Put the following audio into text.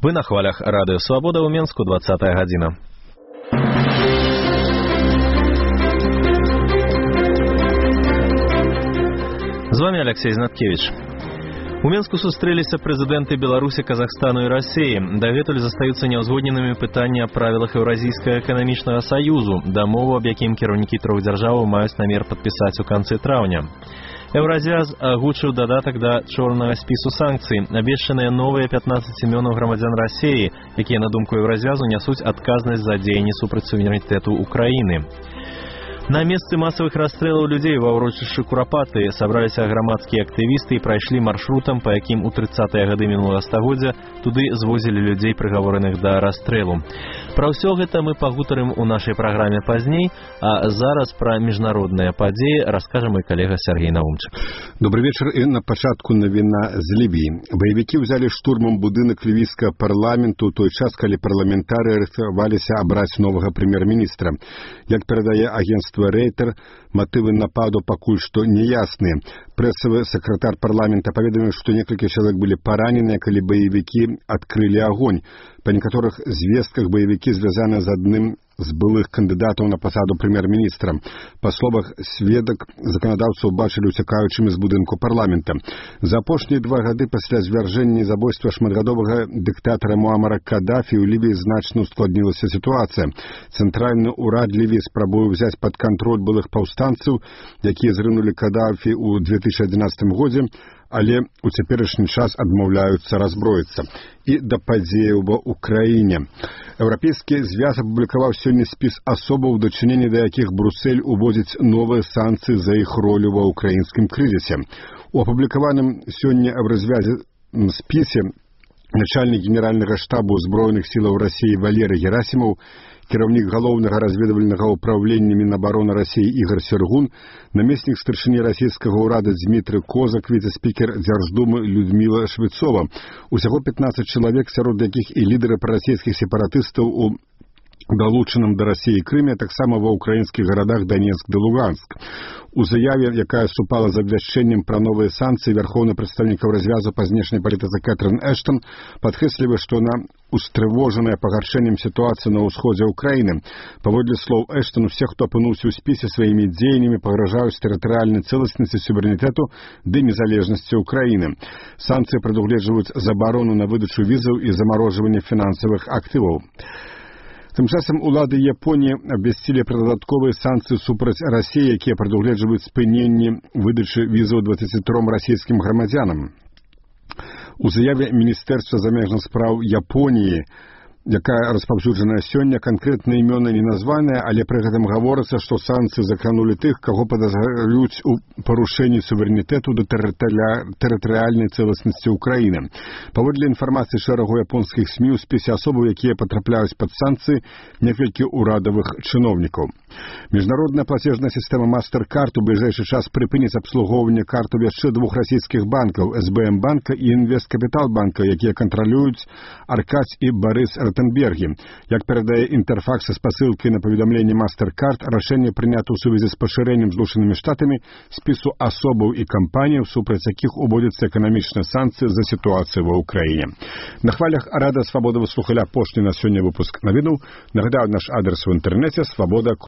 Вы на хвалях Радыё Свабода ў Менску, 20-я гадзіна. З вами Алексей Знаткевич. У Менску сустрэліся прэзідэнты Беларусі, Казахстану і Расіі. Дагэтуль застаюцца няўзгодненымі пытанні аб правілах Еўразійскага эканамічнага саюзу, дамову, аб якім кіраўнікі трох дзяржаваў маюць намер падпісаць у канцы траўня. Еўразіяз агучыў дадатак да чорнага спісу санкцый, абвешчаныя новыя 15 імёнаў грамадзян Расіі, якія, на думку Еўразіязу, нясуць адказнасць за дзеянні супраць суверэнітэту Украіны. На месцы масавых расстрэлаў людзей ва ўрочышчы Курапаты сабраліся грамадскія актывісты і прайшлі маршрутам, па якім у 30-е гады мінулага стагоддзя туды звозілі людзей, прыгавораных да расстрэлу. Пра ўсё гэта мы пагутарым у нашай праграме пазней, а зараз пра міжнародныя падзеі раскажа мой калега Сергей Наумчык. Добрый вечер. И на пачатку навіна з Лібіі. Баевікі ўзялі штурмам будынак лівійскага парламенту той час, калі парламентары рыхтаваліся абраць новага прэм'ер-міністра. Як перадае агентство Рейтер, мотывы нападу пакуль што неясныя. Прэсавы сакратар парламента паведаміў, што некалькі чалавек былі параненыя, калі баевікі адкрылі агонь. Па некаторых звестках баевікі звязаны з адным з былых кандыдатаў на пасаду прэм'ер-міністра. Па словах сведак, заканадаўцаў бачылі уцякаючымі з будынку парламента. За апошнія 2 гады пасля звяржэння і забойства шматгадовага дыктатара Муамара Кадафі ў Лівіі значна ускладнілася сітуацыя. Цэнтральны ўрад Лівіі спрабуе ўзяць пад кантроль былых паўстанцаў, якія зрынулі Кадафі ў 2011 годзе, але ў цяперашні час адмаўляюцца разброіцца. І да падзеяў ва Украіне. Еўрапейскі звяз апублікаваў сёння спіс асобаў, у дачыненні да якіх Брюссель уводзіць новыя санкцыі за іх ролю ва ўкраінскім крызісе. У апублікаваным сёння в развязе спісе начальнік генеральнага штабу Збройных сілаў Расіі Валерый Герасімаў, кіраўнік галоўнага разведвальнага ўправлення Мінабароны Расіі Ігор Сергун, намеснік старшыні расійскага ўрада Дмітрый Козак, віцэ-спікер Дзярждумы Людміла Швецова. Усяго 15 чалавек, сярод якіх і лідары прарасійскіх сепаратыстаў у далучаным да Расіі Крыме, таксама ва ўкраінскіх гарадах Донецк ды Луганск. У заяве, якая супала з абвяшчэннем пра новыя санкцыі, вярхоўны прадстаўнік развязу па знешняй палітыцы Кэтрын Эштон падкрэслівае, што она устрывожаная пагаршэннем сітуацыі на ўсходзе ўкраіны. Паводле слоў Эштон, усе, хто апынуўся ў спісе, сваімі дзеяннямі пагражаюць тэрытарыяльнай цэласнасці, суверэнітэту ды незалежнасці ўкраіны. Санкцыі прадугледжваюць забарону на выдачу візаў і замарожванне фінансавых актываў. Тым часам улады Японіі абвясцілі пра дадатковыя санкцыі супраць Расіі, якія прадугледжваюць спыненне выдачы візаў 23 расійскім грамадзянам. У заяве Міністэрства замежных спраў Японіі, якая распаўсюджаная сёння, канкрэтныя імёны не названыя, але пры гэтым гаворыцца, што санкцыі закранулі тых, каго падазраюць у парушэнні суверэнітэту да тэрытарыяльнай цэласнасці ўкраіны. Паводле інфармацыі шэрагу японскіх СМІ, у спісе асобаў, якія патрапляюць пад санкцыі, некалькі ўрадавых чыноўнікаў. Міжнародная плацежная сістэма MasterCard у бліжэйшы час прыпыніць абслугоўванне картаў яшчэ 2 расійскіх банкаў, СБМ банка і Інвесткапітал банка, якія кантралююць Аркадзь і Барыс Ротенбергі. Як перадае Інтэрфакс з пасылкай на паведамленне MasterCard, рашэнне прынята ў сувязі з пашырэннем Злучанымі Штатамі спісу асобаў і кампаніяў, супраць якіх уводзяцца эканамічныя санкцыі за сітуацыю ва ўкраіне. На хвалях Радыё Свабода вы слухалі апошні на сёння выпуск навінаў. Нагадаю, наш адрес у інтэрнэце свабода.